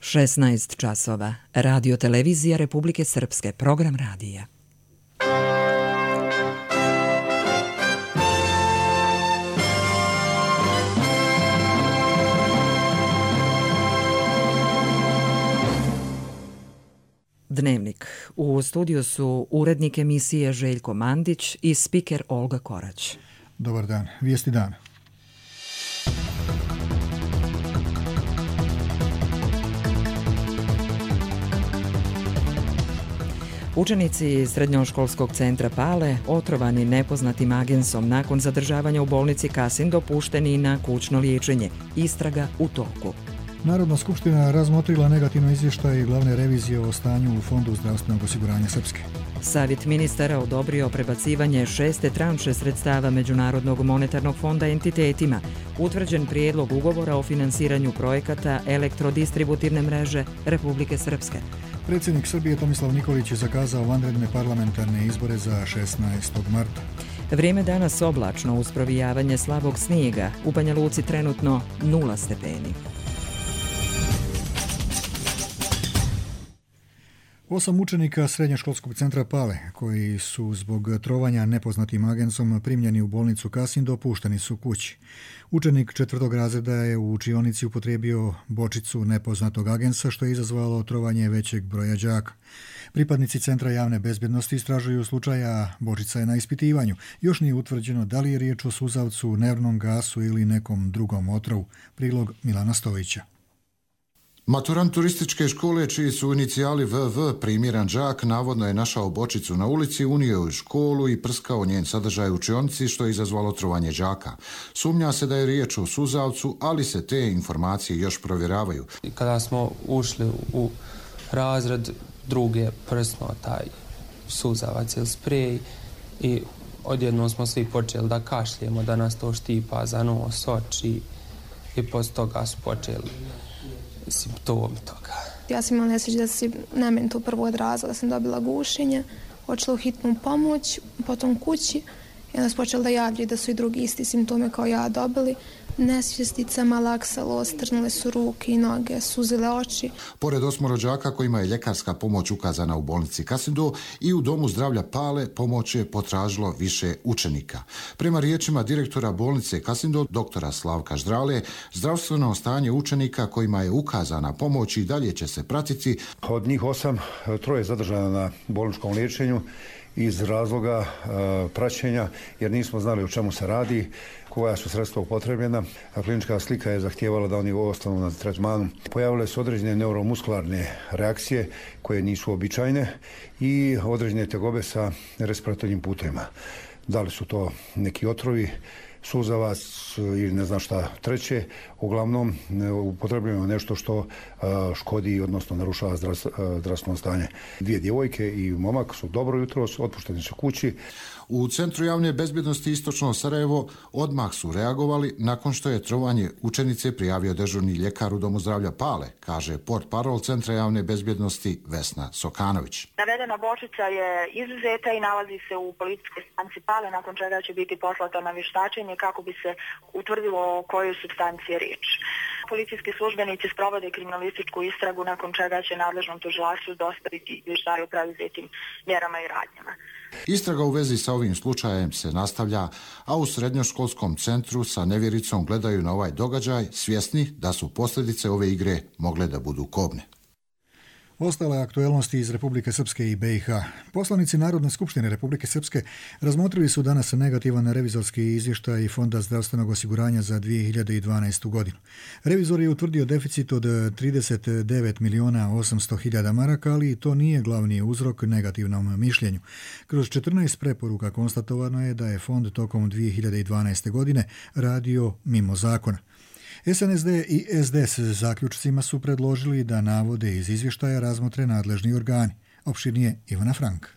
16 časova. Radio televizija Republike Srpske. Program radija. Dnevnik. U studiju su urednik emisije Željko Mandić i spiker Olga Korać. Dobar dan. Vijesti dana. Učenici srednjoškolskog centra Pale, otrovani nepoznatim agensom nakon zadržavanja u bolnici Kasin, dopušteni na kućno liječenje. Istraga u toku. Narodna skupština razmotrila negativno izvještaj glavne revizije o stanju u Fondu zdravstvenog osiguranja Srpske. Savjet ministara odobrio prebacivanje 6. tranše sredstava Međunarodnog monetarnog fonda entitetima. Utvrđen prijedlog ugovora o finansiranju projekata elektrodistributivne mreže Republike Srpske. Predsjednik Srbije Tomislav Nikolić je zakazao vanredne parlamentarne izbore za 16. marta. Vrijeme danas oblačno uz provijavanje slabog snijega. U Banja Luci trenutno 0 stepeni. 8 učenika srednjoškolskog centra Pale, koji su zbog trovanja nepoznatim agensom primljeni u bolnicu Kasin, dopušteni su kući. Učenik 4. razreda je u učionici upotrijebio bočicu nepoznatog agensa, što je izazvalo trovanje većeg broja đaka. Pripadnici Centra javne bezbjednosti istražuju slučaja, bočica je na ispitivanju. Još nije utvrđeno da li je riječ o suzavcu, nervnom gasu ili nekom drugom otrovu. Prilog Milana Stojića. Maturant turističke škole, čiji su inicijali VV, primiran đak, navodno je našao bočicu na ulici, unio u školu i prskao njen sadržaj u učionici, što je izazvalo trovanje đaka. Sumnja se da je riječ o suzavcu, ali se te informacije još provjeravaju. Kada smo ušli u razred, drugi je prsnuo taj suzavac ili sprej i odjednom smo svi počeli da kašljemo, da nas to štipa za nos, oči i poslije toga su počeli simptomi toga. Ja sam imala nesreću da se na meni to prvo odrazilo, da sam dobila gušenje, odšla u hitnu pomoć, potom kući i onda su počeli da javljaju da su i drugi isti simptome kao ja dobili. Nesvjestica, malaksalo, strnule su ruke i noge, suzile oči. Pored 8 rođaka kojima je ljekarska pomoć ukazana u bolnici Kasindo i u Domu zdravlja Pale, pomoć je potražilo više učenika. Prema riječima direktora bolnice Kasindo, doktora Slavka Ždrale, zdravstveno stanje učenika kojima je ukazana pomoć i dalje će se pratiti. Od njih 8, 3 je zadržano na bolničkom liječenju iz razloga praćenja, jer nismo znali o čemu se radi, koja su sredstva upotrebljena. Klinička slika je zahtijevala da oni ostanu na tretmanu. Pojavile su određene neuromuskularne reakcije koje nisu običajne i određene tegobe sa respiratornim putevima. Da li su to neki otrovi, suzavac ili ne znam šta treće, uglavnom upotrebljujemo nešto što škodi, odnosno narušava zdravstveno stanje. 2 djevojke i momak su dobro jutros, otpušteni su kući. U Centru javne bezbjednosti Istočno Sarajevo odmah su reagovali nakon što je trovanje učenice prijavio dežurni ljekar u Domu zdravlja Pale, kaže portparol Centra javne bezbjednosti Vesna Sokanović. Navedena bočica je izuzeta i nalazi se u policijskoj stanici Pale, nakon čega će biti poslata na vještačenje kako bi se utvrdilo o kojoj supstanciji je riječ. Policijski službenici sprovode kriminalističku istragu, nakon čega će nadležnom tužilaštvu dostaviti izvještaj o preduzetim mjerama i radnjama. Istraga u vezi sa ovim slučajem se nastavlja, a u srednjoškolskom centru sa nevjericom gledaju na ovaj događaj, svjesni da su posljedice ove igre mogle da budu kobne. Ostale aktuelnosti iz Republike Srpske i BiH. Poslanici Narodne skupštine Republike Srpske razmotrili su danas negativan revizorski izvještaj Fonda zdravstvenog osiguranja za 2012. godinu. Revizor je utvrdio deficit od 39.800.000 maraka, ali to nije glavni uzrok negativnom mišljenju. Kroz 14 preporuka konstatovano je da je fond tokom 2012. godine radio mimo zakona. SNSD i SDS zaključcima su predložili da navode iz izvještaja razmotre nadležni organi. Opširnije Ivana Frank.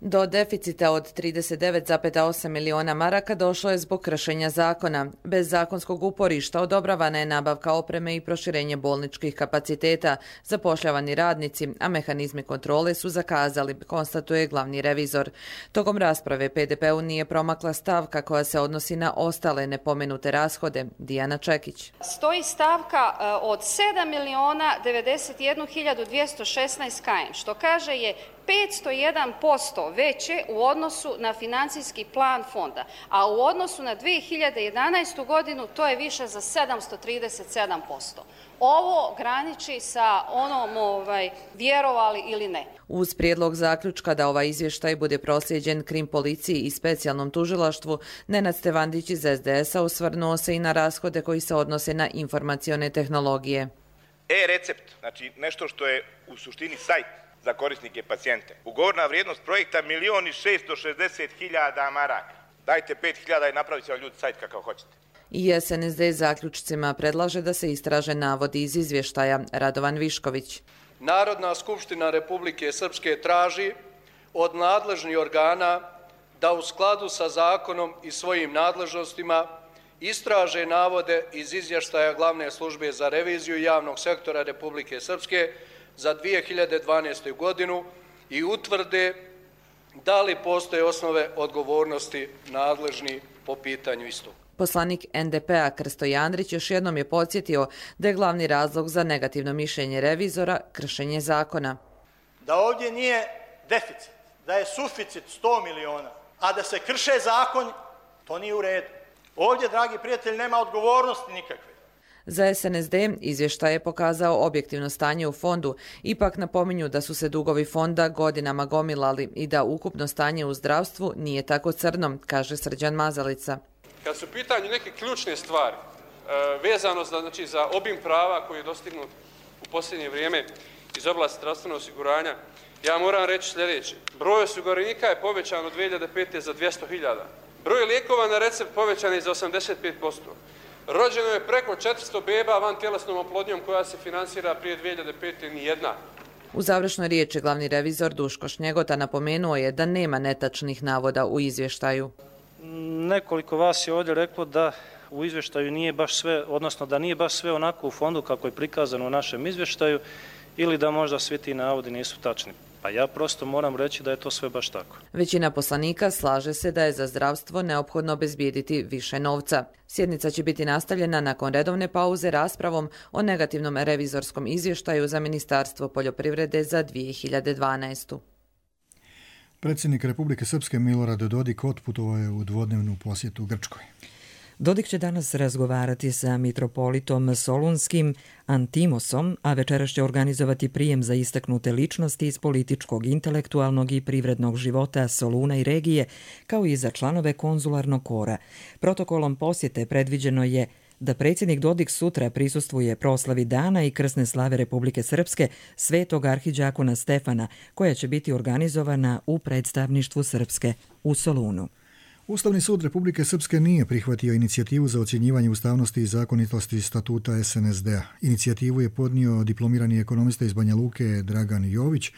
Do deficita od 39,8 miliona maraka došlo je zbog kršenja zakona. Bez zakonskog uporišta odobravana je nabavka opreme i proširenje bolničkih kapaciteta, zapošljavani radnici, a mehanizmi kontrole su zakazali, konstatuje glavni revizor. Tokom rasprave PDP-u nije promakla stavka koja se odnosi na ostale nepomenute rashode. Dijana Čekić. Stoji stavka od 7.091.216 km, što kaže je 501% veće u odnosu na financijski plan fonda, a u odnosu na 2011. godinu to je više za 737%. Ovo graniči sa onom vjerovali ili ne. Uz prijedlog zaključka da ovaj izvještaj bude proslijeđen Krim policiji i specijalnom tužilaštvu, Nenad Stevandić iz SDS-a osvrnuo se i na rashode koji se odnose na informacione tehnologije. E-recept, znači nešto što je u suštini sajt za korisnike pacijente. Ugovorna vrijednost projekta 1.660.000 maraka. Dajte 5.000 i napravit će vam ljudi sajt kakav hoćete. I SNSD zaključcima predlaže da se istraže navodi iz izvještaja. Radovan Višković. Narodna skupština Republike Srpske traži od nadležnih organa da u skladu sa zakonom i svojim nadležnostima istraže navode iz izvještaja Glavne službe za reviziju javnog sektora Republike Srpske za 2012. godinu i utvrde da li postoje osnove odgovornosti nadležni po pitanju istog. Poslanik NDP-a Krsto Jandrić još jednom je podsjetio da je glavni razlog za negativno mišljenje revizora kršenje zakona. Da ovdje nije deficit, da je suficit 100 miliona, a da se krše zakon, to nije u redu. Ovdje, dragi prijatelji, nema odgovornosti nikakve. Za SNSD izvještaj je pokazao objektivno stanje u fondu, ipak napominju da su se dugovi fonda godinama gomilali i da ukupno stanje u zdravstvu nije tako crno, kaže Srđan Mazalica. Kad su u pitanju neke ključne stvari, vezano za obim prava koji je dostignut u posljednje vrijeme iz oblasti zdravstvenog osiguranja, ja moram reći sljedeće. Broj osiguranika je povećan od 2005. za 200.000. Broj lijekova na recept povećan je za 85%. Rođeno je preko 400 beba van tjelesnom oplodnjom koja se finansira prije 2005. nijedna. U završnoj riječi glavni revizor Duško Šnjegota napomenuo je da nema netačnih navoda u izvještaju. Nekoliko vas je ovdje reklo da u izvještaju nije baš sve, odnosno da nije baš sve onako u fondu kako je prikazano u našem izvještaju ili da možda svi ti navodi nisu tačni. Pa ja prosto moram reći da je to sve baš tako. Većina poslanika slaže se da je za zdravstvo neophodno obezbijediti više novca. Sjednica će biti nastavljena nakon redovne pauze raspravom o negativnom revizorskom izvještaju za Ministarstvo poljoprivrede za 2012. Predsjednik Republike Srpske Milorad Dodik otputovao je u dvodnevnu posjetu Grčkoj. Dodik će danas razgovarati sa mitropolitom Solunskim Antimosom, a večeras će organizovati prijem za istaknute ličnosti iz političkog, intelektualnog i privrednog života Soluna i regije, kao i za članove konzularnog kora. Protokolom posjete predviđeno je da predsjednik Dodik sutra prisustvuje proslavi dana i krsne slave Republike Srpske Svetog arhidžakona Stefana, koja će biti organizovana u predstavništvu Srpske u Solunu. Ustavni sud Republike Srpske nije prihvatio inicijativu za ocjenjivanje ustavnosti i zakonitosti statuta SNSD-a. Inicijativu je podnio diplomirani ekonomista iz Banja Luke Dragan Jović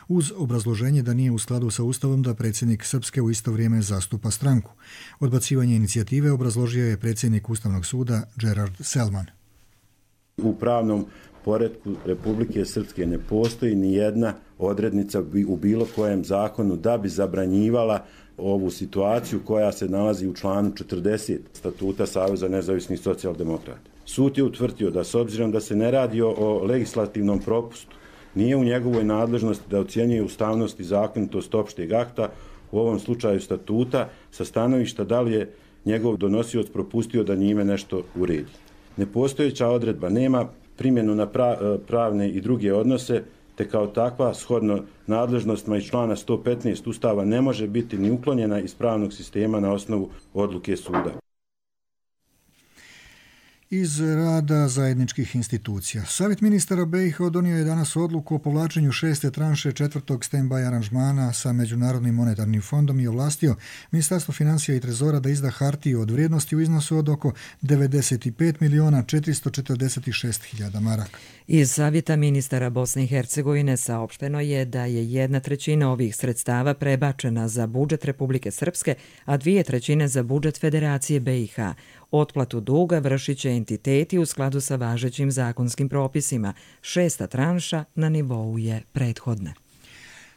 uz obrazloženje da nije u skladu sa Ustavom da predsjednik Srpske u isto vrijeme zastupa stranku. Odbacivanje inicijative obrazložio je predsjednik Ustavnog suda Gerard Selman. U pravnom poretku Republike Srpske ne postoji ni jedna odrednica u bilo kojem zakonu da bi zabranjivala ovu situaciju koja se nalazi u članu 40 statuta Saveza nezavisnih socijaldemokrata. Sud je utvrdio da s obzirom da se ne radi o legislativnom propustu, nije u njegovoj nadležnosti da ocjenjuje ustavnost i zakonitost opšteg akta, u ovom slučaju statuta, sa stanovišta da li je njegov donosioc propustio da njime nešto uredi. Nepostojeća odredba nema primjenu na pravne i druge odnose, te kao takva, shodno nadležnostima iz člana 115 Ustava, ne može biti ni uklonjena iz pravnog sistema na osnovu odluke suda. iz rada zajedničkih institucija. Savjet ministara BiH donio je danas odluku o povlačenju 6. tranše 4. stand-by aranžmana sa Međunarodnim monetarnim fondom i ovlastio Ministarstvo financija i trezora da izda hartiju od vrijednosti u iznosu od oko 95.446.000 maraka. Iz Savjeta ministara Bosne i Hercegovine saopšteno je da je 1/3 ovih sredstava prebačena za budžet Republike Srpske, a 2/3 za budžet Federacije BiH. Otplatu duga vršit će entiteti u skladu sa važećim zakonskim propisima. 6. tranša na nivou je prethodne.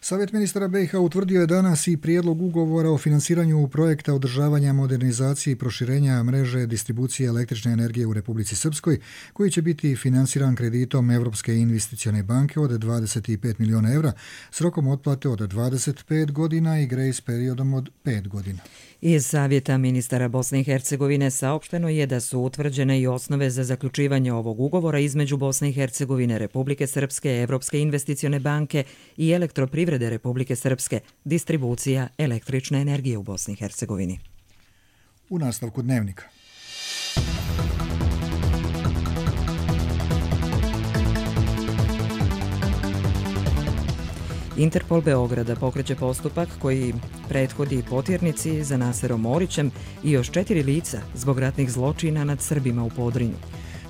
Savjet ministara BiH utvrdio je danas i prijedlog ugovora o finansiranju projekta održavanja, modernizacije i proširenja mreže distribucije električne energije u Republici Srpskoj, koji će biti finansiran kreditom Evropske investicione banke od 25 miliona evra s rokom otplate od 25 godina i grace periodom od 5 godina. Iz Savjeta ministara Bosne i Hercegovine saopšteno je da su utvrđene i osnove za zaključivanje ovog ugovora između Bosne i Hercegovine, Republike Srpske, Evropske investicione banke i Elektroprivrede Republike Srpske, distribucija električne energije u Bosni i Hercegovini. U nastavku dnevnika. Interpol Beograda pokreće postupak koji prethodi potjernici za Naserom Orićem i još 4 lica zbog ratnih zločina nad Srbima u Podrinju.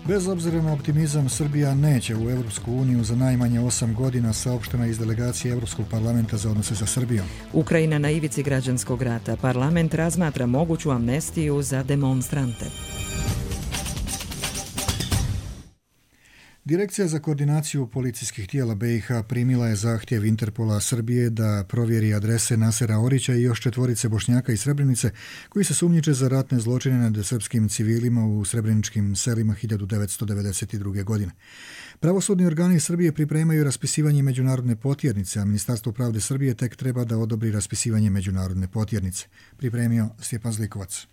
Bez obzira na optimizam, Srbija neće u Evropsku uniju za najmanje 8 godina, saopštena iz delegacije Evropskog parlamenta za odnose sa Srbijom. Ukrajina na ivici građanskog rata. Parlament razmatra moguću amnestiju za demonstrante. Direkcija za koordinaciju policijskih tijela BiH primila je zahtjev Interpola Srbije da provjeri adrese Nasera Orića i još 4 Bošnjaka iz Srebrenice koji se sumnjiče za ratne zločine nad srpskim civilima u srebreničkim selima 1992. godine. Pravosudni organi Srbije pripremaju raspisivanje međunarodne potjernice, a Ministarstvo pravde Srbije tek treba da odobri raspisivanje međunarodne potjernice. Pripremio Stjepan Zlikovac.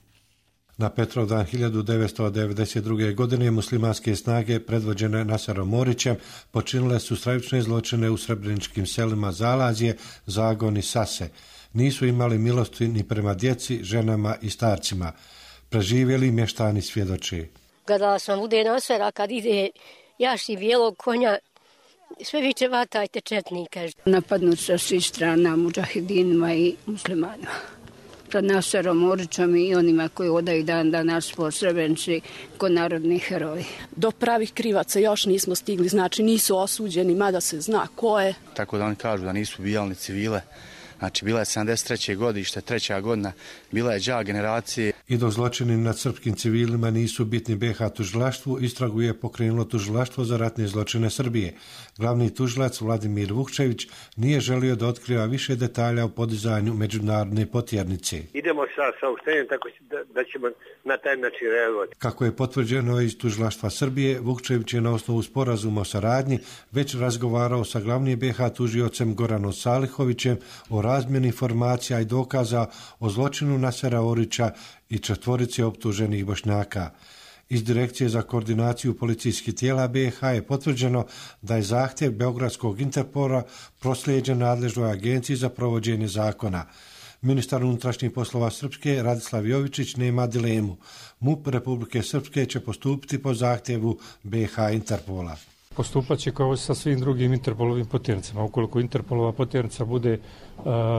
Na Petrovdan 1992. godine muslimanske snage predvođene Naserom Orićem počinile su stravične zločine u srebreničkim selima Zalazje, Zagon i Sase. Nisu imali milosti ni prema djeci, ženama i starcima. Preživjeli mještani svjedoči. Gledala sam bude Nasera kad ide jaši bijelog konja, sve viče vatajte četnika. Napadnut sa svih strana mudžahidinima i muslimanima. Sa Naserom Orićom i onima koji odaju dan danas po Srebrenici ko narodni heroji. Do pravih krivaca još nismo stigli, znači nisu osuđeni, mada se zna ko je. Tako da oni kažu da nisu ubijali civile. Znači, bila je 73. godište, 3. godina, bila je đa generacije. I dok zločini nad srpskim civilima nisu bitni BiH tužilaštvu, istragu je pokrenulo tužilaštvo za ratne zločine Srbije. Glavni tužilac Vladimir Vukčević nije želio da otkriva više detalja o podizanju međunarodne potjernice. Idemo sa saopštenjem tako da ćemo na taj način reagovati. Kako je potvrđeno iz tužilaštva Srbije, Vukčević je na osnovu sporazuma o saradnji već razgovarao sa glavnim BiH tužiocem Goranom Salihovićem o razmjeni informacija i dokaza o zločinu Nasera Orića i 4 optuženih Bošnjaka. Iz Direkcije za koordinaciju policijskih tijela BiH je potvrđeno da je zahtjev Beogradskog Interpola proslijeđen nadležnoj agenciji za provođenje zakona. Ministar unutrašnjih poslova Srpske Radislav Jovičić nema dilemu. MUP Republike Srpske će postupiti po zahtjevu BiH Interpola. Postupat će kao sa svim drugim Interpolovim potjernicama. Ukoliko Interpolova potjernica bude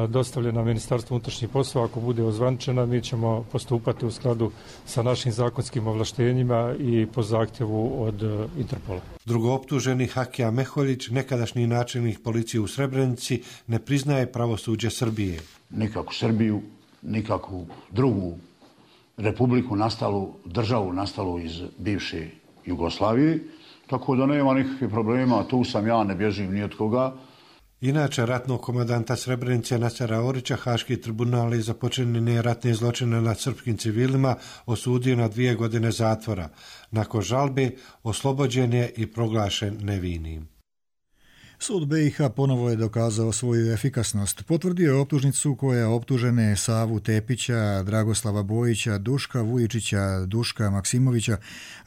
dostavljena Ministarstvu unutrašnjih poslova, ako bude ozvaničena, mi ćemo postupati u skladu sa našim zakonskim ovlaštenjima i po zahtjevu od Interpola. Drugooptuženi Hakija Meholjić, nekadašnji načelnik policije u Srebrenici, ne priznaje pravosuđe Srbije. Nikakvu Srbiju, nikakvu drugu republiku nastalu, državu nastalu iz bivše Jugoslavije, tako da nema nikakvih problema, tu sam ja, ne bježim ni od koga. Inače, ratnog komandanta Srebrenice Nasera Orića Haški tribunal je za počinjene ratne zločine nad srpskim civilima osudio na 2 godine zatvora. Nakon žalbe oslobođen je i proglašen nevinim. Sud BiH ponovo je dokazao svoju efikasnost. Potvrdio je optužnicu koja optužene Savu Tepića, Dragoslava Bojića, Duška Vujičića, Duška Maksimovića,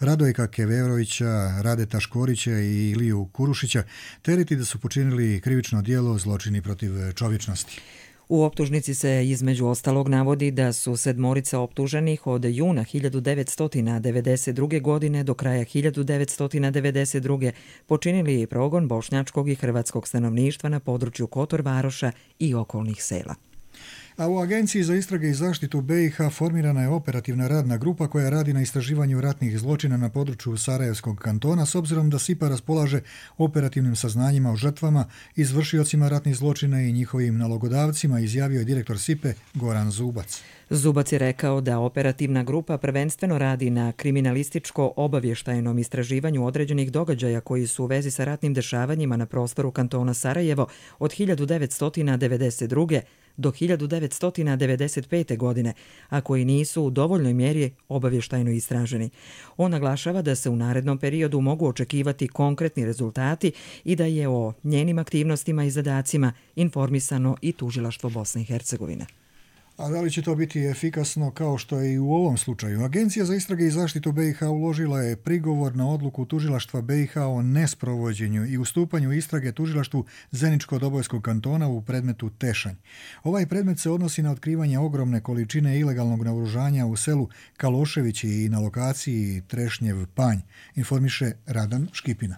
Radojka Keverovića, Radeta Škorića i Iliju Kurušića tereti da su počinili krivično djelo zločini protiv čovječnosti. U optužnici se između ostalog navodi da su 7 optuženih od juna 1992. godine do kraja 1992. počinili progon bošnjačkog i hrvatskog stanovništva na području Kotor Varoša i okolnih sela. A u Agenciji za istrage i zaštitu BiH formirana je operativna radna grupa koja radi na istraživanju ratnih zločina na području Sarajevskog kantona s obzirom da SIPA raspolaže operativnim saznanjima o žrtvama, izvršiocima ratnih zločina i njihovim nalogodavcima, izjavio je direktor SIPE Goran Zubac. Zubac je rekao da operativna grupa prvenstveno radi na kriminalističko-obavještajnom istraživanju određenih događaja koji su u vezi sa ratnim dešavanjima na prostoru kantona Sarajevo od 1992. do 1995. godine, a koji nisu u dovoljnoj mjeri obavještajno istraženi. On naglašava da se u narednom periodu mogu očekivati konkretni rezultati i da je o njenim aktivnostima i zadacima informisano i tužilaštvo Bosne i Hercegovine. A da li će to biti efikasno kao što je i u ovom slučaju? Agencija za istrage i zaštitu BiH uložila je prigovor na odluku tužilaštva BiH o nesprovođenju i ustupanju istrage tužilaštvu Zeničko-Dobojskog kantona u predmetu Tešanj. Ovaj predmet se odnosi na otkrivanje ogromne količine ilegalnog naoružanja u selu Kaloševići i na lokaciji Trešnjev Panj, informiše Radan Škipina.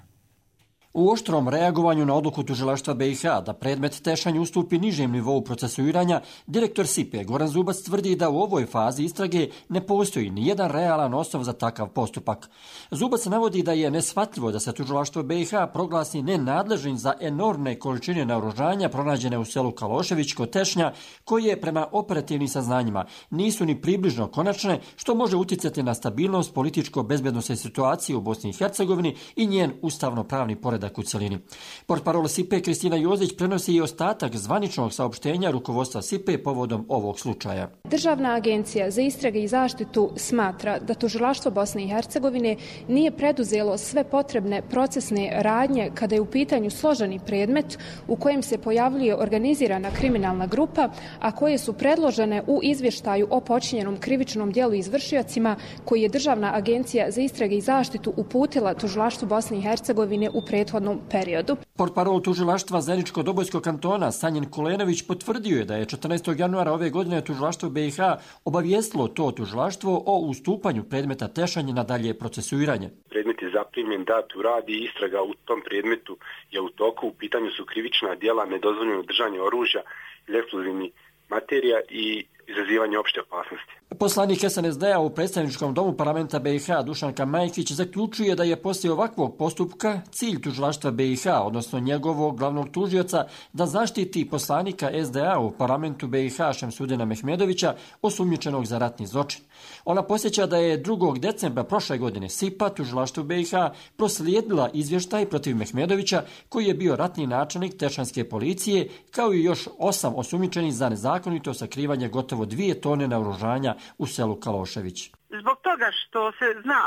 U oštrom reagovanju na odluku tužilaštva BiH da predmet Tešanj ustupi nižem nivou procesuiranja, direktor SIPE Goran Zubac tvrdi da u ovoj fazi istrage ne postoji ni jedan realan osnov za takav postupak. Zubac navodi da je neshvatljivo da se tužilaštvo BiH proglasi nenadležnim za enormne količine naoružanja pronađene u selu Kalošević kod Tešnja, koje prema operativnim saznanjima nisu ni približno konačne, što može uticati na stabilnost političko-bezbednosne situacije u Bosni i Hercegovini i njen ustavno-pravni poredak u celini. Portparol SIPE Kristina Jozić prenosi i ostatak zvaničnog saopštenja rukovodstva SIPE povodom ovog slučaja. Državna agencija za istrage i zaštitu smatra da tužilaštvo Bosne i Hercegovine nije preduzelo sve potrebne procesne radnje kada je u pitanju složeni predmet u kojem se pojavljuje organizirana kriminalna grupa, a koje su predložene u izvještaju o počinjenom krivičnom djelu izvršiocima koji je Državna agencija za istrage i zaštitu uputila tužilaštvu Bosne i Hercegovine u prethodnom periodu. Portparol tužilaštva Zeničko-Dobojskog kantona Sanjin Kulenović potvrdio je da je 14. januara ove godine tužilaštvo BiH obavijestilo to tužilaštvo o ustupanju predmeta Tešanj na dalje procesuiranje. Predmet je zaprimljen, dat u rad i istraga u tom predmetu je u toku. U pitanju su krivična djela nedozvoljeno držanje oružja ili eksplozivnih materija i izazivanje opšte opasnosti. Poslanik SNSD-a u predstavničkom domu parlamenta BiH Dušanka Majkić zaključuje da je poslije ovakvog postupka cilj tužilaštva BiH, odnosno njegovog glavnog tužioca, da zaštiti poslanika SDA u parlamentu BiH Šemsudina Mehmedovića, osumnjičenog za ratni zločin. Ona posjeća da je 2. decembra prošle godine SIPA tužilaštvu BiH proslijedila izvještaj protiv Mehmedovića, koji je bio ratni načelnik Tešanske policije, kao i još 8 osumnjičenih za nezakonito sakrivanje gotovo 2 tone naoružanja u selu Kalošević. Zbog toga što se zna,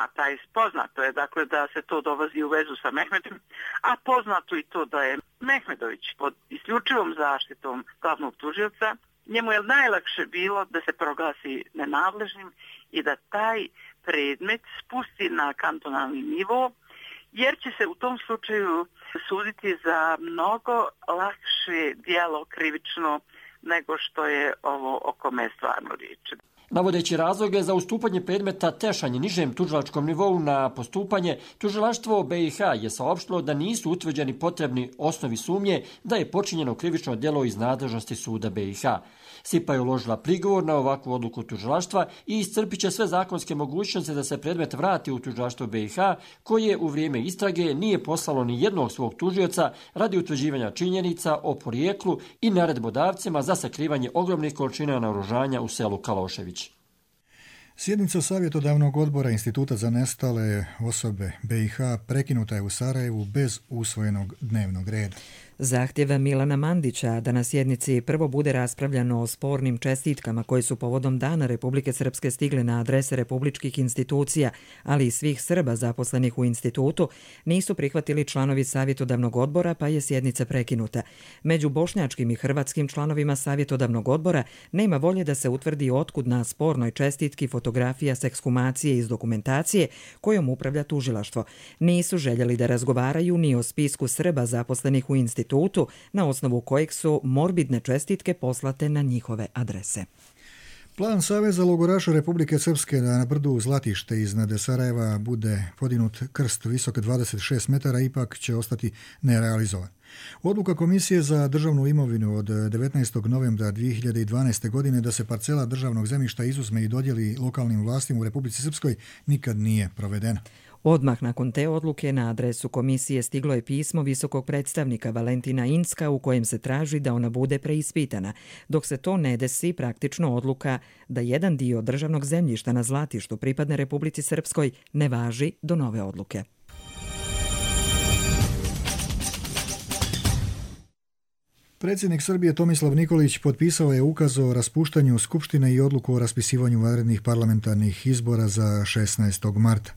poznato je dakle da se to dolazi u vezu sa Mehmedom, a poznato i to da je Mehmedović pod isključivom zaštitom glavnog tužioca, njemu je najlakše bilo da se proglasi nenadležnim i da taj predmet spusti na kantonalni nivo, jer će se u tom slučaju suditi za mnogo lakše djelo krivično nego što je ovo o kome je stvarno riječ. Navodeći razloge za ustupanje predmeta Tešanj nižem tužilačkom nivou na postupanje, tužilaštvo BiH je saopštilo da nisu utvrđeni potrebni osnovi sumnje da je počinjeno krivično djelo iz nadležnosti suda BiH. SIPA je uložila prigovor na ovakvu odluku tužilaštva i iscrpit će sve zakonske mogućnosti da se predmet vrati u tužilaštvo BiH, koje u vrijeme istrage nije poslalo ni jednog svog tužioca radi utvrđivanja činjenica o porijeklu i naredbodavcima za sakrivanje ogromnih količina naoružanja u selu Kalošević. Sjednica savjetodavnog odbora Instituta za nestale osobe BiH prekinuta je u Sarajevu bez usvojenog dnevnog reda. Zahtjeva Milana Mandića da na sjednici prvo bude raspravljano o spornim čestitkama koje su povodom Dana Republike Srpske stigle na adrese republičkih institucija, ali i svih Srba zaposlenih u institutu, nisu prihvatili članovi savjetodavnog odbora, pa je sjednica prekinuta. Među bošnjačkim i hrvatskim članovima savjetodavnog odbora nema volje da se utvrdi otkud na spornoj čestitki fotografija s ekshumacije iz dokumentacije kojom upravlja tužilaštvo. Nisu željeli da razgovaraju ni o spisku Srba zaposlenih u institutu, institutu, na osnovu kojeg su morbidne čestitke poslate na njihove adrese. Plan Saveza logoraša Republike Srpske da na brdu Zlatište iznad Sarajeva bude podignut krst visok 26 metara ipak će ostati nerealizovan. Odluka Komisije za državnu imovinu od 19. novembra 2012. godine da se parcela državnog zemljišta izuzme i dodijeli lokalnim vlastima u Republici Srpskoj nikad nije provedena. Odmah nakon te odluke na adresu komisije stiglo je pismo visokog predstavnika Valentina Incka u kojem se traži da ona bude preispitana. Dok se to ne desi, praktično odluka da jedan dio državnog zemljišta na Zlatištu pripadne Republici Srpskoj ne važi do nove odluke. Predsjednik Srbije Tomislav Nikolić potpisao je ukaz o raspuštanju Skupštine i odluku o raspisivanju vanrednih parlamentarnih izbora za 16. marta.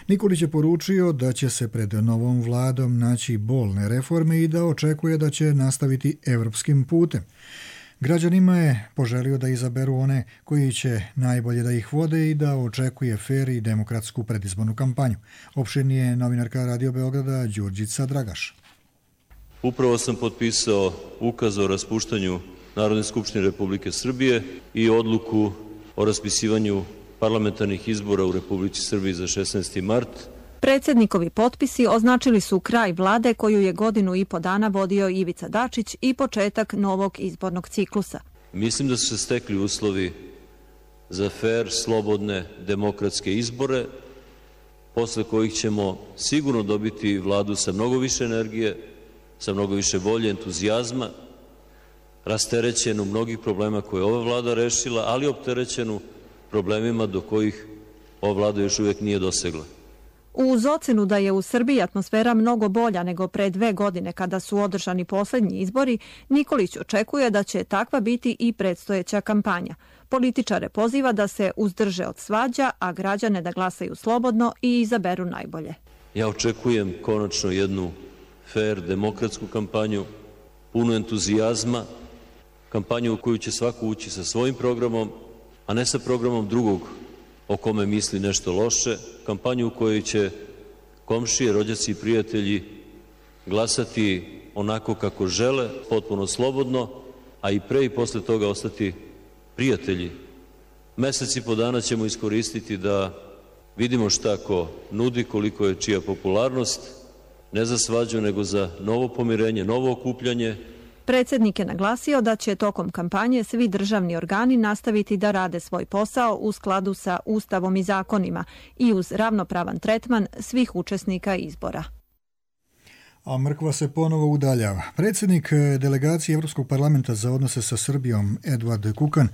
Nikolić je poručio da će se pred novom vladom naći bolne reforme i da očekuje da će nastaviti evropskim putem. Građanima je poželio da izaberu one koji će najbolje da ih vode i da očekuje fer i demokratsku predizbornu kampanju. Opširnije novinarka Radio Beograda Đurđica Dragaš. Upravo sam potpisao ukaz o raspuštanju Narodne skupštine Republike Srbije i odluku o raspisivanju parlamentarnih izbora u Republici Srbiji za 16. mart. Predsjednikovi potpisi označili su kraj vlade koju je 1,5 godina vodio Ivica Dačić i početak novog izbornog ciklusa. Mislim da su se stekli uslovi za fer, slobodne, demokratske izbore, posle kojih ćemo sigurno dobiti vladu sa mnogo više energije, sa mnogo više volje, entuzijazma, rasterećenu mnogih problema koje je ova vlada rešila, ali opterećenu problemima do kojih ova vlada još uvijek nije dosegla. Uz ocenu da je u Srbiji atmosfera mnogo bolja nego pre 2 godine kada su održani posljednji izbori, Nikolić očekuje da će takva biti i predstojeća kampanja. Političare poziva da se uzdrže od svađa, a građane da glasaju slobodno i izaberu najbolje. Ja očekujem konačno jednu fer, demokratsku kampanju, punu entuzijazma, kampanju u koju će svako ući sa svojim programom, a ne sa programom drugog o kome misli nešto loše, kampanju u kojoj će komšije, rođaci i prijatelji glasati onako kako žele, potpuno slobodno, a i pre i posle toga ostati prijatelji. Mesec i po dana ćemo iskoristiti da vidimo šta ko nudi, koliko je čija popularnost, ne za svađu, nego za novo pomirenje, novo okupljanje. Predsjednik je naglasio da će tokom kampanje svi državni organi nastaviti da rade svoj posao u skladu sa Ustavom i zakonima i uz ravnopravan tretman svih učesnika izbora. A mrkva se ponovo udaljava. Predsjednik delegacije Evropskog parlamenta za odnose sa Srbijom, Eduard Kukan,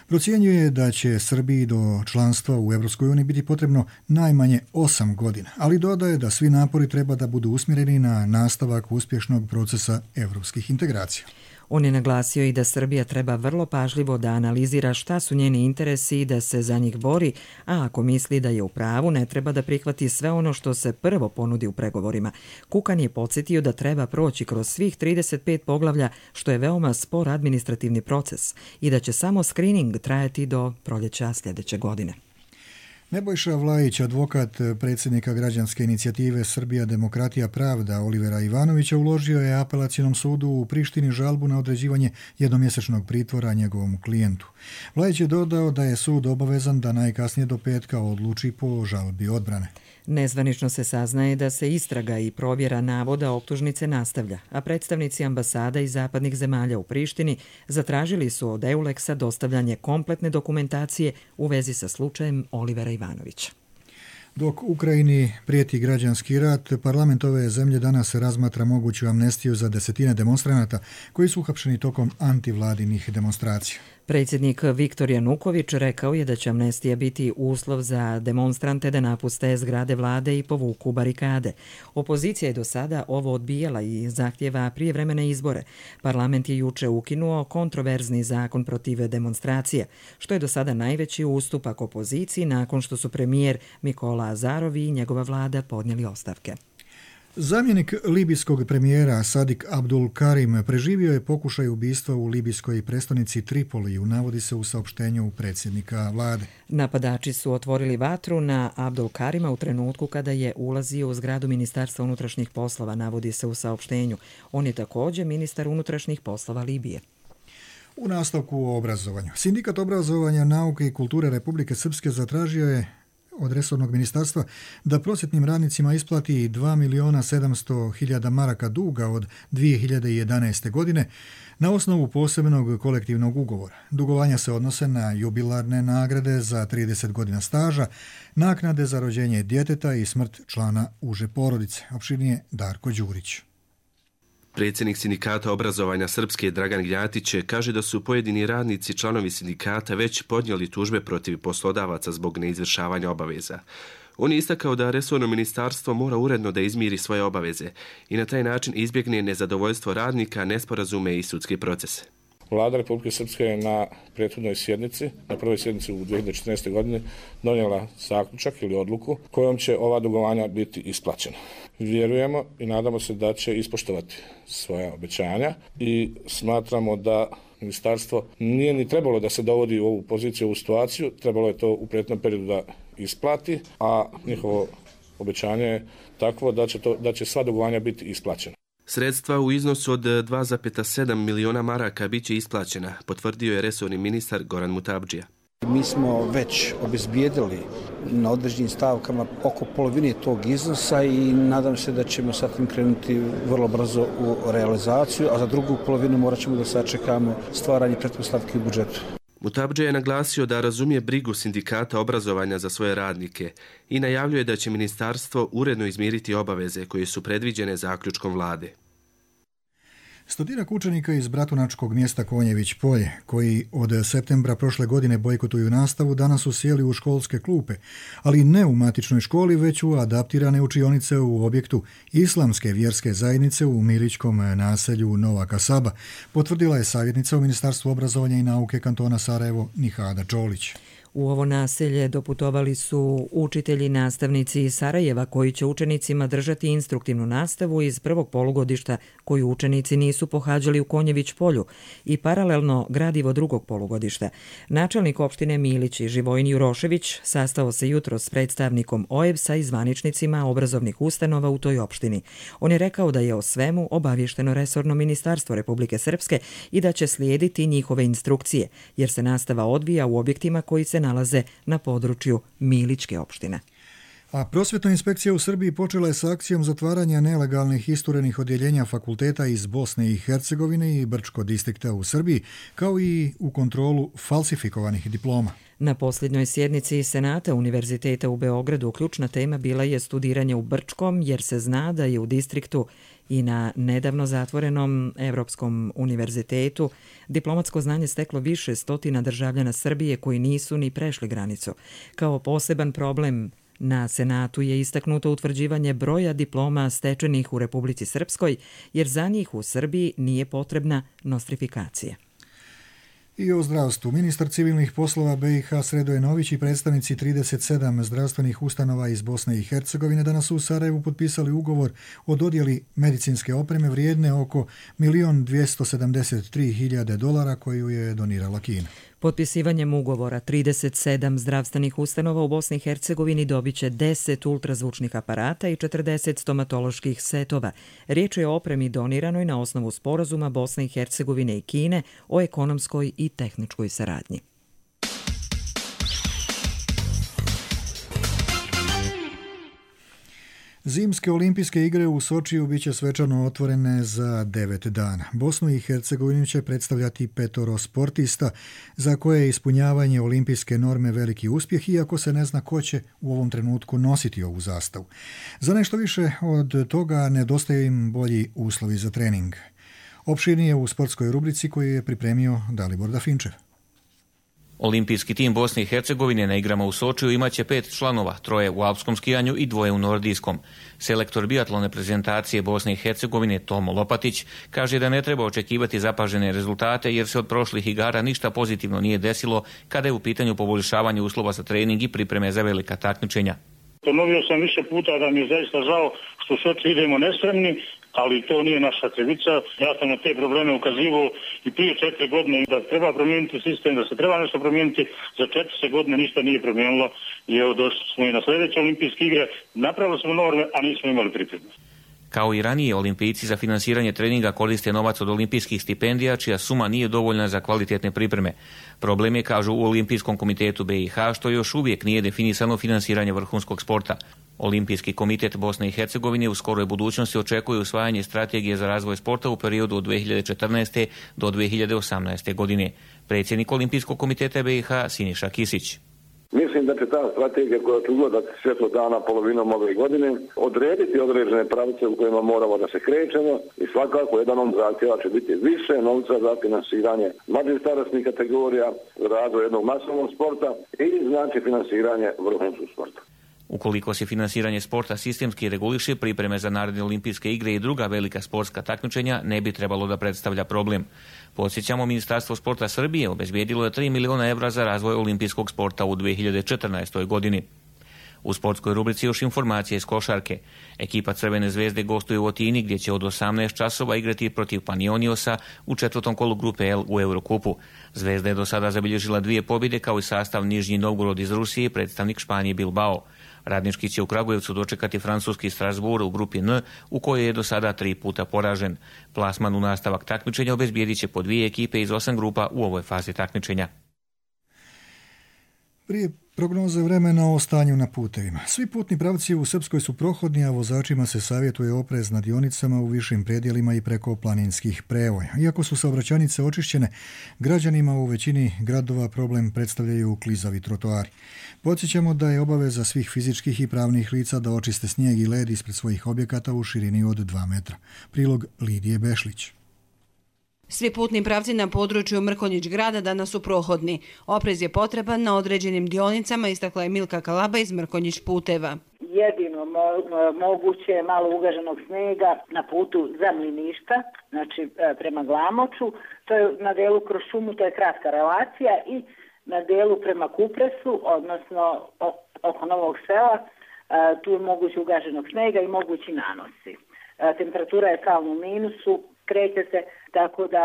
procjenjuje da će Srbiji do članstva u Evropskoj uniji biti potrebno najmanje 8 godina, ali dodaje da svi napori treba da budu usmjereni na nastavak uspješnog procesa evropskih integracija. On je naglasio i da Srbija treba vrlo pažljivo da analizira šta su njeni interesi i da se za njih bori, a ako misli da je u pravu, ne treba da prihvati sve ono što se prvo ponudi u pregovorima. Kukan je podsjetio da treba proći kroz svih 35 poglavlja, što je veoma spor administrativni proces i da će samo skrining trajati do proljeća sljedeće godine. Nebojša Vlajić, advokat predsjednika građanske inicijative Srbija, demokratija, pravda Olivera Ivanovića, uložio je apelacionom sudu u Prištini žalbu na određivanje jednomjesečnog pritvora njegovom klijentu. Vlajić je dodao da je sud obavezan da najkasnije do petka odluči po žalbi odbrane. Nezvanično se saznaje da se istraga i provjera navoda optužnice nastavlja, a predstavnici ambasada iz zapadnih zemalja u Prištini zatražili su od EULEX-a dostavljanje kompletne dokumentacije u vezi sa slučajem Olivera Ivanovića. Dok Ukrajini prijeti građanski rat, parlament ove zemlje danas razmatra moguću amnestiju za desetine demonstranata koji su uhapšeni tokom antivladinih demonstracija. Predsjednik Viktor Januković rekao je da će amnestija biti uslov za demonstrante da napuste zgrade vlade i povuku barikade. Opozicija je do sada ovo odbijala i zahtjeva prijevremene izbore. Parlament je juče ukinuo kontroverzni zakon protiv demonstracije, što je do sada najveći ustupak opoziciji nakon što su premijer Mikola Azarov i njegova vlada podnijeli ostavke. Zamjenik libijskog premijera Sadik Abdul Karim preživio je pokušaj ubistva u libijskoj prestonici Tripoliju, navodi se u saopštenju predsjednika vlade. Napadači su otvorili vatru na Abdul Karima u trenutku kada je ulazio u zgradu Ministarstva unutrašnjih poslova, navodi se u saopštenju. On je također ministar unutrašnjih poslova Libije. U nastavku o obrazovanju. Sindikat obrazovanja, nauke i kulture Republike Srpske zatražio je od resornog ministarstva da prosvjetnim radnicima isplati 2.700.000 maraka duga od 2011. godine na osnovu posebnog kolektivnog ugovora. Dugovanja se odnose na jubilarne nagrade za 30 godina staža, naknade za rođenje djeteta i smrt člana uže porodice. Opširnije Darko Đurić. Predsjednik sindikata obrazovanja Srpske Dragan Gnjatić kaže da su pojedini radnici članovi sindikata već podnijeli tužbe protiv poslodavaca zbog neizvršavanja obaveza. On je istakao da resorno ministarstvo mora uredno da izmiri svoje obaveze i na taj način izbjegne nezadovoljstvo radnika, nesporazume i sudske procese. Vlada Republike Srpske je na prethodnoj sjednici, na prvoj sjednici u 2014. godini, donijela zaključak ili odluku kojom će ova dugovanja biti isplaćena. Vjerujemo i nadamo se da će ispoštovati svoja obećanja i smatramo da ministarstvo nije ni trebalo da se dovodi u ovu poziciju, u ovu situaciju, trebalo je to u prethodnom periodu da isplati, a njihovo obećanje je takvo da će sva dugovanja biti isplaćena. Sredstva u iznosu od 2,7 miliona maraka bit će isplaćena, potvrdio je resorni ministar Goran Mutabdžija. Mi smo već obezbijedili na određenim stavkama oko polovine tog iznosa i nadam se da ćemo sad tim krenuti vrlo brzo u realizaciju, a za drugu polovinu morat ćemo da sačekamo stvaranje pretpostavki u budžetu. Mutabdžija je naglasio da razumije brigu sindikata obrazovanja za svoje radnike i najavljuje da će ministarstvo uredno izmiriti obaveze koje su predviđene zaključkom vlade. Stotinak učenika iz bratunačkog mjesta Konjević Polje, koji od septembra prošle godine bojkotuju nastavu, danas su sjeli u školske klupe, ali ne u matičnoj školi, već u adaptirane učionice u objektu Islamske vjerske zajednice u Milićkom naselju Nova Kasaba, potvrdila je savjetnica u Ministarstvu obrazovanja i nauke kantona Sarajevo Nihada Čolić. U ovo naselje doputovali su učitelji i nastavnici iz Sarajeva koji će učenicima držati instruktivnu nastavu iz prvog polugodišta koju učenici nisu pohađali u Konjević Polju i paralelno gradivo drugog polugodišta. Načelnik opštine Milić Živojin Jurošević sastao se jutro s predstavnikom OEBS-a i zvaničnicima obrazovnih ustanova u toj opštini. On je rekao da je o svemu obavješteno resorno ministarstvo Republike Srpske i da će slijediti njihove instrukcije, jer se nastava odvija u objektima koji se nalaze na području Milićke opštine. A prosvjetna inspekcija u Srbiji počela je sa akcijom zatvaranja nelegalnih isturenih odjeljenja fakulteta iz Bosne i Hercegovine i Brčko distrikta u Srbiji, kao i u kontrolu falsifikovanih diploma. Na posljednjoj sjednici Senata Univerziteta u Beogradu ključna tema bila je studiranje u Brčkom, jer se zna da je u distriktu i na nedavno zatvorenom Evropskom univerzitetu diplomatsko znanje steklo više stotina državljana Srbije koji nisu ni prešli granicu. Kao poseban problem na Senatu je istaknuto utvrđivanje broja diploma stečenih u Republici Srpskoj, jer za njih u Srbiji nije potrebna nostrifikacija. I o zdravstvu. Ministar civilnih poslova BiH Sredoje Nović i predstavnici 37 zdravstvenih ustanova iz Bosne i Hercegovine danas su u Sarajevu potpisali ugovor o dodjeli medicinske opreme vrijedne oko $1.273.000 koju je donirala Kina. Potpisivanjem ugovora 37 zdravstvenih ustanova u Bosni i Hercegovini dobit će 10 ultrazvučnih aparata i 40 stomatoloških setova. Riječ je o opremi doniranoj na osnovu sporazuma Bosne i Hercegovine i Kine o ekonomskoj i tehničkoj saradnji. Zimske olimpijske igre u Sočiju biće svečano otvorene za 9 dana. Bosnu i Hercegovinu će predstavljati 5 sportista za koje je ispunjavanje olimpijske norme veliki uspjeh, iako se ne zna ko će u ovom trenutku nositi ovu zastavu. Za nešto više od toga nedostaju im bolji uslovi za trening. Opširnije u sportskoj rubrici koju je pripremio Dalibor Dafinčev. Olimpijski tim Bosne i Hercegovine na igrama u Sočiju imaće 5 članova, 3 u alpskom skijanju i 2 u nordijskom. Selektor biatlone prezentacije Bosne i Hercegovine Tomo Lopatić kaže da ne treba očekivati zapažene rezultate jer se od prošlih igara ništa pozitivno nije desilo kada je u pitanju poboljšavanje uslova za trening i pripreme za velika takmičenja. Ponovio sam više puta da mi je zaista žao što Soči idemo nespremni, ali to nije naša krivica. Ja sam na te probleme ukazivao i prije 4 godine da treba promijeniti sistem, da se treba nešto promijeniti. Za 4 godine ništa nije promijenilo i evo došli smo i na sljedeće olimpijske igre. Napravili smo norme, a nismo imali pripremu. Kao i ranije, olimpijci za finansiranje treninga koriste novac od olimpijskih stipendija, čija suma nije dovoljna za kvalitetne pripreme. Problem je, kažu u Olimpijskom komitetu BiH, što još uvijek nije definisano finansiranje vrhunskog sporta. Olimpijski komitet Bosne i Hercegovine u skoroj budućnosti očekuje usvajanje strategije za razvoj sporta u periodu od 2014. do 2018. godine. Predsjednik Olimpijskog komiteta BiH Siniša Kisić. Mislim da će ta strategija koja će ugledati svjetlo dana polovinom ove godine odrediti određene pravce u kojima moramo da se krećemo i svakako jedan od zahtjeva će biti više novca za finansiranje mlađih starosnih kategorija, razvoj jednog masovnog sporta i znači finansiranje vrhunskog sporta. Ukoliko se finansiranje sporta sistemski reguliše, pripreme za naredne olimpijske igre i druga velika sportska takmičenja ne bi trebalo da predstavlja problem. Podsjećamo, Ministarstvo sporta Srbije obezbijedilo je 3 miliona evra za razvoj olimpijskog sporta u 2014. godini. U sportskoj rubrici još informacije iz košarke. Ekipa Crvene zvezde gostuje u Otini, gdje će od 18 časova igrati protiv Panioniosa u 4. kolu grupe L u Eurokupu. Zvezda je do sada zabilježila 2 pobjede, kao i sastav Nižnji Novgorod iz Rusije i predstavnik Španije Bilbao. Radnički će u Kragujevcu dočekati francuski Strasbourg u grupi N, u kojoj je do sada 3 puta poražen. Plasman u nastavak takmičenja obezbijedit će po 2 ekipe iz 8 grupa u ovoj fazi takmičenja. Prije prognoze vremena o stanju na putevima. Svi putni pravci u Srpskoj su prohodni, a vozačima se savjetuje oprez na dionicama u višim predjelima i preko planinskih prevoja. Iako su saobraćajnice očišćene, građanima u većini gradova problem predstavljaju klizavi trotoari. Podsjećamo da je obaveza svih fizičkih i pravnih lica da očiste snijeg i led ispred svojih objekata u širini od 2 metra. Prilog Lidije Bešlić. Svi putni pravci na području Mrkonjić grada danas su prohodni. Oprez je potreban na određenim dionicama, istakla je Milka Kalaba iz Mrkonjić puteva. Jedino moguće je malo ugaženog snega na putu za Mliništa, znači prema Glamoču. To je na delu kroz šumu, to je kratka relacija, i na delu prema Kupresu, odnosno oko Novog Sela, tu je moguće ugaženog snega i mogući nanosi. Temperatura je stalno u minusu, kreće se, tako da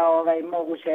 moguće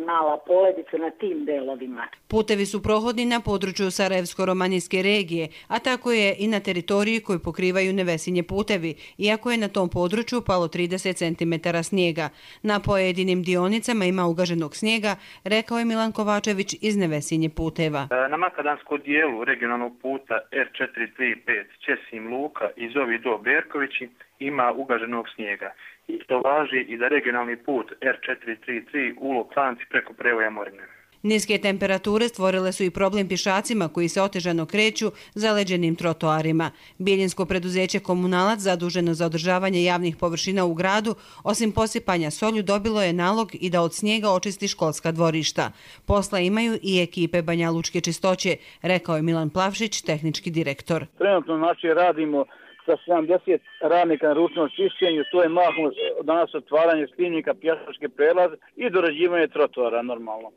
mala poledica na tim delovima. Putevi su prohodni na području Sarajevsko-romanijske regije, a tako je i na teritoriji koju pokrivaju Nevesinje putevi, iako je na tom području palo 30 cm snijega. Na pojedinim dionicama ima ugaženog snijega, rekao je Milan Kovačević iz Nevesinje puteva. Na makadanskom dijelu regionalnog puta R435 Ćesim Luka i Zovi do Berkovići ima ugaženog snijega. I to važi i za regionalni put R433 Ulog Klanci preko prevoja Morine. Niske temperature stvorile su i problem pješacima koji se otežano kreću zaleđenim trotoarima. Bijeljinsko preduzeće Komunalac, zaduženo za održavanje javnih površina u gradu, osim posipanja solju, dobilo je nalog i da od snijega očisti školska dvorišta. Posla imaju i ekipe Banja Lučke čistoće, rekao je Milan Plavšić, tehnički direktor. Trenutno radimo sa 70 radnika na ručnom čišćenju, to je mahom danas otvaranje slivnika, pješačke prelaze i dorađivanje trotoara normalno.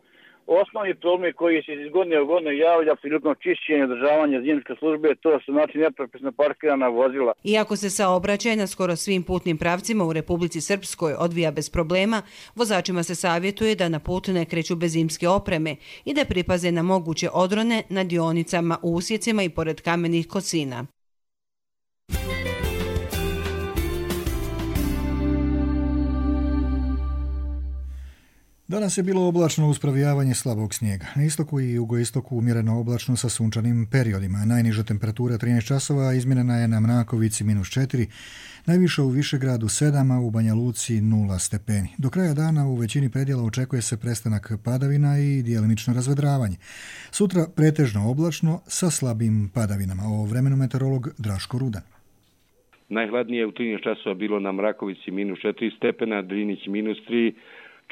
Osnovni problem koji se iz godine u godinu javlja prilikom čišćenja i održavanja zimske službe, to su nepropisno parkirana vozila. Iako se saobraćaj na skoro svim putnim pravcima u Republici Srpskoj odvija bez problema, vozačima se savjetuje da na put ne kreću bez zimske opreme i da pripaze na moguće odrone na dionicama, u usjecima i pored kamenih kosina. Danas je bilo oblačno uz provijavanje slabog snijega. Na istoku i jugoistoku umjereno oblačno sa sunčanim periodima. Najniža temperatura 13 časova izmjerena je na Mnakovici -4, najviša u Višegradu 7, a u Banja Luci 0 stepeni. Do kraja dana u većini predjela očekuje se prestanak padavina i djelimično razvedravanje. Sutra pretežno oblačno sa slabim padavinama. O vremenu meteorolog Draško Rudan. Najhladnije u 13 časova bilo na Mrakovici -4 stepena, Drinić -3,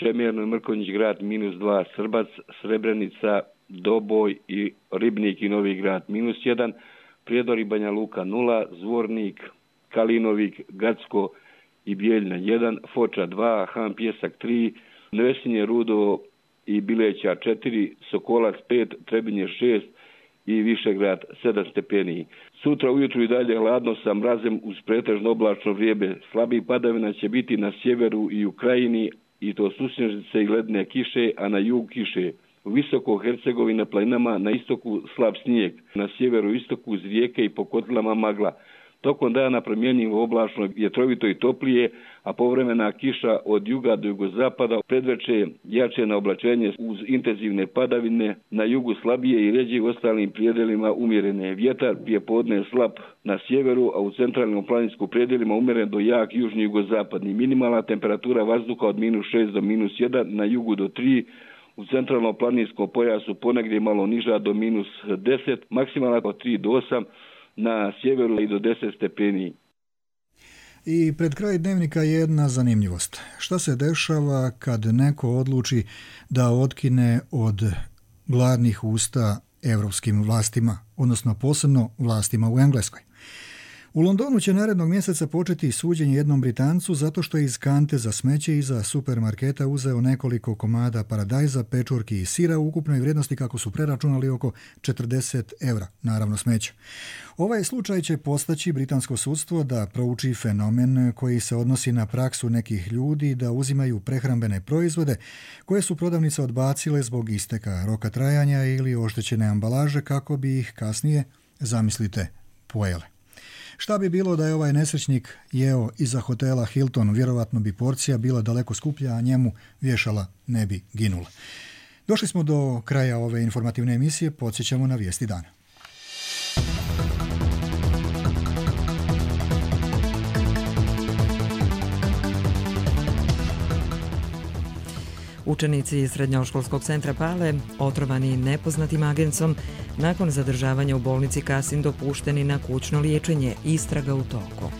Čemerno i Mrkonjić grad -2, Srbac, Srebrenica, Doboj i Ribnik i Novi grad -1, Prijedor i Banja Luka 0, Zvornik, Kalinovik, Gacko i Bijeljna 1, Foča 2, Han Pjesak 3, Nevesinje, Rudo i Bileća 4, Sokolac 5, Trebinje 6 i Višegrad 7 stepeni. Sutra ujutru i dalje hladno sa mrazem uz pretežno oblačno vrijeme. Slabih padavina će biti na sjeveru i u krajini, i to susnježice i ledne kiše, a na jug kiše. U visoko Hercegovini na planinama, na istoku slab snijeg, na sjeveru i istoku uz rijeke i po kotlama magla. Tokom dana promjenjivo oblačno, vjetrovito i toplije, a povremena kiša od juga do jugozapada, predveče jače na oblačenje uz intenzivne padavine, na jugu slabije i ređe u ostalim prijedelima umjerene. Vjetar prije podne slab na sjeveru, a u centralnom planinskom prijedelima umjeren do jak južni jugozapadni. Minimalna temperatura vazduha od -6 do -1, na jugu do 3, u centralnom planinskom pojasu ponegdje malo niža do -10, maksimalna od 3 do 8, na sjeveru i do 10 stepeni. I pred kraj dnevnika jedna zanimljivost. Šta se dešava kad neko odluči da otkine od gladnih usta evropskim vlastima, odnosno posebno vlastima u Engleskoj? U Londonu će narednog mjeseca početi suđenje jednom Britancu zato što je iz kante za smeće iza supermarketa uzeo nekoliko komada paradajza, pečurki i sira u ukupnoj vrijednosti, kako su preračunali, oko 40 €, naravno smeća. Ovaj slučaj će postaći britansko sudstvo da prouči fenomen koji se odnosi na praksu nekih ljudi da uzimaju prehrambene proizvode koje su prodavnice odbacile zbog isteka roka trajanja ili oštećene ambalaže kako bi ih kasnije, zamislite, pojele. Šta bi bilo da je ovaj nesrećnik jeo iza hotela Hilton? Vjerovatno bi porcija bila daleko skuplja, a njemu vješala ne bi ginula. Došli smo do kraja ove informativne emisije, podsjećamo na vijesti dana. Učenici Srednjoškolskog centra Pale, otrovani nepoznatim agencom, nakon zadržavanja u bolnici Kasin dopušteni na kućno liječenje, istraga u toku.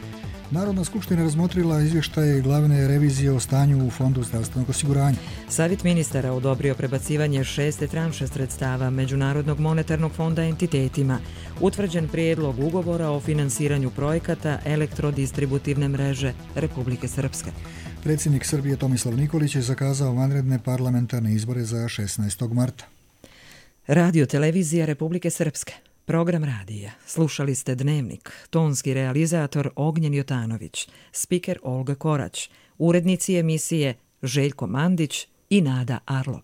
Narodna skupština razmotrila izvještaje glavne revizije o stanju u Fondu zdravstvenog osiguranja. Savjet ministara odobrio prebacivanje 6. tranše sredstava Međunarodnog monetarnog fonda entitetima. Utvrđen prijedlog ugovora o finansiranju projekata elektrodistributivne mreže Republike Srpske. Predsjednik Srbije Tomislav Nikolić je zakazao vanredne parlamentarne izbore za 16. marta. Radio televizija Republike Srpske. Program radija. Slušali ste Dnevnik. Tonski realizator Ognjen Jotanović. Spiker Olga Korać. Urednici emisije Željko Mandić i Nada Arlov.